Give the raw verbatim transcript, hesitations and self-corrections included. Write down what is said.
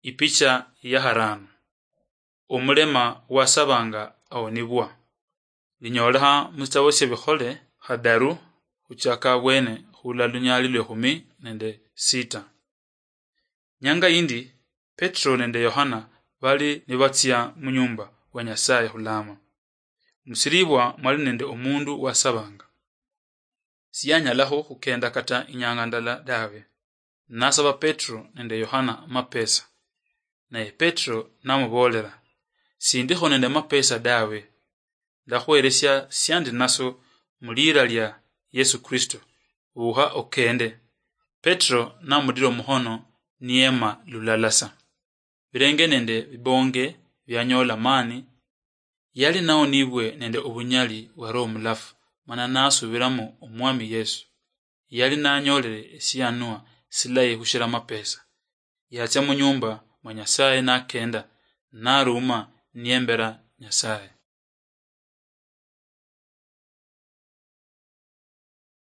Ipicha ya harano. Omulema wasabanga awonibwa. Linyolekha musitabo syebikhole khadaru khuchaka abwene khula lunyali lwekhumi nende sita. Nyanga yindi, Petro nende Yohana bali nibatsia munyumba wa Nyasaye khulama. Musiribwa mwali nende omundu wasabanga. Siyanyalakho khukenda kata inyanga ndala dawe. Nasaba Petro nende Yohana amapesa. Naye Petro namuboolera, "Sindikho nende mapesa dawe. Ndakhweresia siandi naso mulira lia Yesu Kristo. Wukha okende." Petro namudira omukhono niyema lulala sa. Birenge nende bibonge bianyola mani, yali nawonibwe nende obunyali bwa Roho Mulafu, mana nasubiramo Omwami Yesu. Yali nanyolere esianwa silayi khushira amapesa. Yatsia munyumba mwa Nyasaye nakenda, naruma niyembera Nyasaye.